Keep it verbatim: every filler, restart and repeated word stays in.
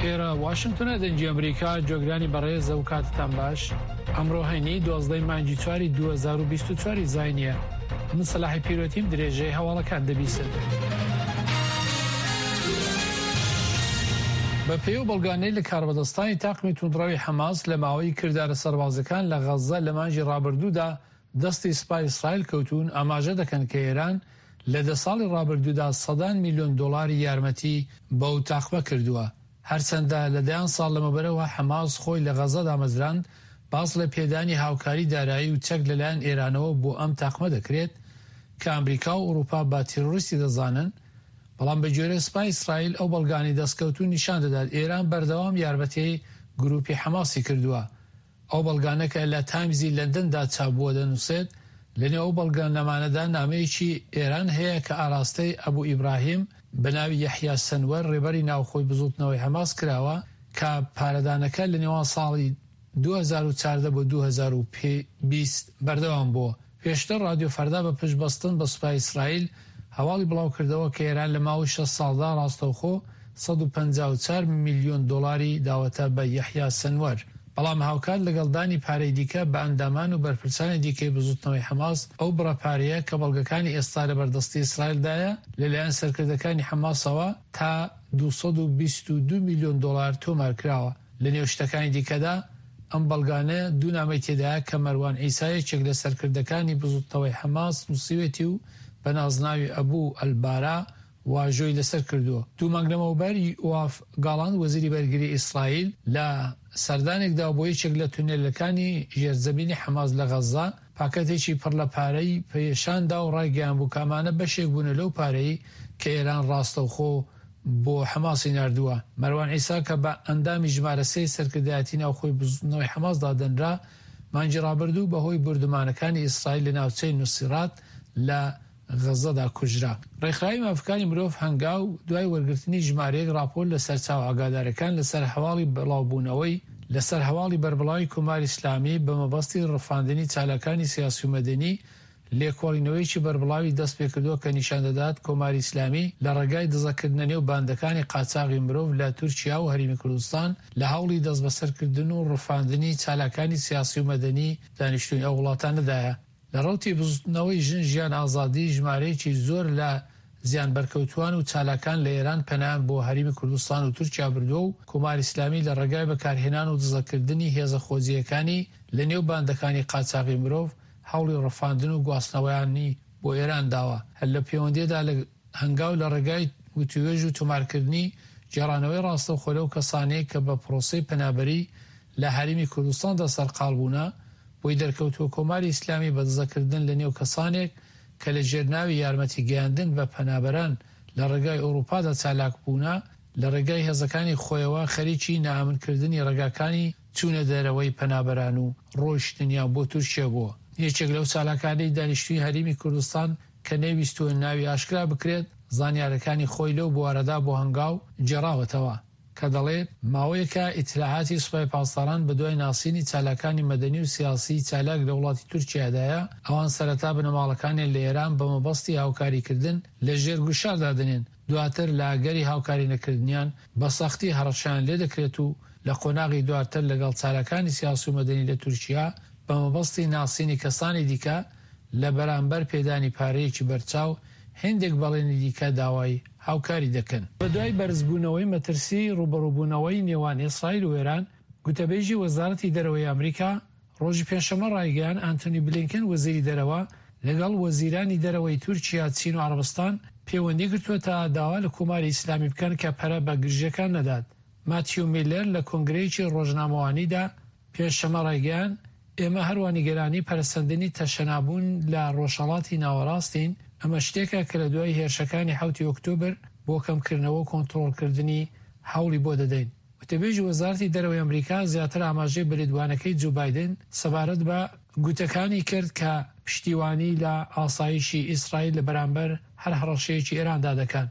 ئێرە واشنگتنە، دەنگی ئەمریکا. جۆگرانی بەڕێز، ئەو کاتتان باش. ئەمڕۆ هەینی دوازدەی مانگی چواری دوو هەزار و بیست و چوار زاینیە. من سەلاحی پیرۆتیم، درێژەی هەواڵەکان دەبیسن. بە پێی و بەڵگانەی لە کاربەدەستانی تاقمی توندڕەوی حەماس لە ماوەی کردارە سەربازەکان لە غەززە لە مانگی ڕابردوودا دەستی سوپای ئیسرائیل کەوتون، ئاماژە دەکەن کە ئێران لە دە ساڵی ڕابردوودا سەدان میلیۆن دۆلاری یارمەتی بەو تاقمە کردووە. هەرچەندە لە دەیان ساڵ لەمەبەرەوە حەماس خۆی لە غەززە دامەزراند، باس لە پێدانی هاوکاری دارایی و چەک لەلایەن ئێرانەوە بۆ ئەم تاقمە دەکرێت کە ئەمریکا و ئەوروپا بە تیرۆریستی دەزانن، بەڵام بە گوێرەی سوپای ئیسرائیل ئەو بەڵگانەی دەستکەوتوو نیشان دەدات ئێران بەردەوام یارمەتی گروپی حەماسی کردووە. ئەو بەڵگانە کە لە تایمزی لەندەندا چاپ بووە دەنووسێت لەنێو ئەو بەڵگەنامانەدا نامەیەکی ئێران هەیە کە ئاراستەی ئەبوو ئیبراهیم بە ناوی یەحیا سەنوەر ڕێبەری ناوخۆی بزوتنەوەی حەماس کراوە کە پارەدانەکە لە نێوان ساڵی دوو هەزار و چواردە بۆ دوو هەزار و بیست بەردەوام بووە. پێشتر رادیۆ فەردا بە پشت بەستن بە سوپای ئیسرائیل هەواڵی بڵاو کردەوە کە ئێران لە ماوەی شەش ساڵدا ڕاستەوخۆ سەد و پەنجا و چوار میلیۆن دۆلاری داوەتە بە یەحیا سەنوەر، بەڵام هاوکات لەگەڵ دانی پارەی دیکە بە ئەندامان و بەرپرسانی دیکەی بزوتنەوەی حەماس. ئەو بڕە پارەیە کە بەڵگەکانی ئێستا لە بەردەستی ئیسرائیلدایە لەلایەن سەرکردەکانی حەماسەوە تا دوو سەد و بیست و دوو میلیۆن دۆلار تۆمار کراوە. لە نێو شتەکانی دیکەدا ئەم بەڵگانە دوو نامەی تێدایە کە مەروان عیسا یەکێک لە سەرکردەکانی بزوتنەوەی حەماس نووسیوێتی و بە نازناوی ئەبوو ئەلبارا واژۆی لەسەر کردووە. دوو مانگ لەمەوبەر یواف گاڵاند وەزیری بەرگری ئیسرائیل لە سەردانێکدا بۆ یەکێک لە تونێلەکانی ژێرزەمینی حەماس لە غەززە پاکەتێکی پڕ لە پارەی پێشاندا و ڕایگەیان بوو کە ئەمانە بەشێک بوون لەو پارەی کە ئێران ڕاستەوخۆ بۆ حەماسی ناردووە. مەروان عیسا کە بە ئەندامی ژمارە سێ سەرکردایەتی ناوخۆی بزوتنەوەی حەماس دادەنرا، مانگی ڕابردوو بەهۆی بوردومانەکانی ئیسرائیل لە ناوچەی نوسیرات لە غەززەدا کوژرا. ڕێکخراوی مافەکانی مرۆڤ هەنگاو دوای وەرگرتنی ژمارەیەک راپۆرت لە سەرچاوە ئاگادارەکان لەسەر هەواڵی بڵاوبوونەوەی لەسەر هەواڵی بەربڵاوی کۆماری ئیسلامی بە مەبەستی ڕفاندنی چالاکانی سیاسی و مەدەنی لێکۆڵینەوەیەکی بەربڵاوی دەست پێکردووە کە نیشان دەدات کۆماری ئیسلامی لە ڕێگای دزەکردنە نێو باندەکانی قاچاغی مرۆڤ لە تورکیا و هەرێمی کوردستان لە هەوڵی دەستبەسەرکردن و ڕفاندنی چالاکانی سیاسی و مەدەنی دانیشتووی ئەو وڵاتانەدایە. لە ڕەوتی بزوتنەوەی ژن ژیان ئازادی ژمارەیەکی زۆر لە زیان بەرکەوتوان و چالاکان لە ئێران پەنایان بۆ هەرێمی کوردستان و تورکیا بردووە و کۆماری ئیسلامی لە ڕێگای بەکارهێنان و دزەکردنی هێزە خۆجێیەکانی لە نێو باندەکانی قاچاغی مرۆڤ هەوڵی ڕفاندن و گواستنەوەیانی بۆ ئێران داوە. هەر لە پەیوەندیدا لە هەنگاو لە ڕێگای وتوێژ و تۆمارکردنی گێڕانەوەی ڕاستەوخۆ لەو کەسانەی کە بە پرۆسەی پەنابەری لە هەرێمی کوردستاندا سەرقاڵ بوونە، بۆی دەرکەوتووە کۆماری ئیسلامی بە دزەکردن لە نێو کەسانێک کە لە ژێرناوی یارمەتی گەیاندن بە پەنابەران لە ڕێگای ئەوروپادا چالاک بوونە، لە ڕێگای هێزەکانی خۆیەوە خەریکی نائامنکردنی ڕێگاکانی چوونە دەرەوەی پەنابەران و ڕۆیشتنیان بۆ تورکیا بووە. یەکێک لەو چالاکانەی دانیشتووی هەرێمی کوردستان کە نەیویستووە ناوی ئاشکرا بکرێت، زانیارەکانی خۆی لەو بوارەدا بۆ هەنگاو گێڕاوەتەوە کە دەڵێت ماوەیەکە ئیتلاعاتی سوپای پاسداران بە دوای ناسینی چالاکانی مەدەنی و سیاسی چالاک لە وڵاتی تورکیادایە. ئەوان سەرەتا بنەماڵەکانیان لە ئێران بە مەبەستی هاوکاریکردن لە ژێر گوشاردا دەنێن، دواتر لە ئەگەری هاوکاری نەکردنیان بە سەختی هەڕەشەیان لێدەکرێت و لە قۆناغی دواتر لەگەڵ چالاکانی سیاسی و مەدەنی لە تورکیا بە مەبەستی ناسینی کەسانی دیکە لە بەرامبەر پێدانی پارەیەکی بەرچاو هەندێک بەڵێنی دیکە داوای هاوکاری دەکەن. بە دوای بەرزبوونەوەی مەترسی ڕووبەڕووبوونەوەی نێوان ئیسرائیل و ئێران، گوتەبێژی وەزارەتی دەرەوەی ئەمریکا ڕۆژی پێنجشەممە ڕایگەیاند ئەنتۆنی بلینکن وەزیری دەرەوە لەگەڵ وەزیرانی دەرەوەی تورکیا، چین و عەرەبستان پەیوەندی گرتووە تا داوا لە کۆماری ئیسلامی بکەن کە پەرە بە گرژیەکان نەدات. ماتیو میلەر لە کۆنگرەیەکی ڕۆژنامەوانیدا پێنجشەممە ڕایگەیاند ئێمە هەروە نیگەرانی پەرەسەندنی تەشەنابوون لە ڕۆژهەڵاتی ناوەڕاستین، ئەمە شتێکە کە لە دوای هێرشەکانی حەوتی ئۆکتۆبر بۆ کەمکردنەوە و کۆنترۆڵکردنی هەوڵی بۆ دەدەین. وتەبێژی وەزارەتی دەرەوەی ئەمریکا زیاتر ئاماژەی بە لێدوانەکەی جۆ بایدن سەبارەت بە گوتەکانی کرد کە پشتیوانی لە ئاسایشی ئیسرائیل لە بەرامبەر هەر هەڕەشەیەکی ئێراندا دەکەن.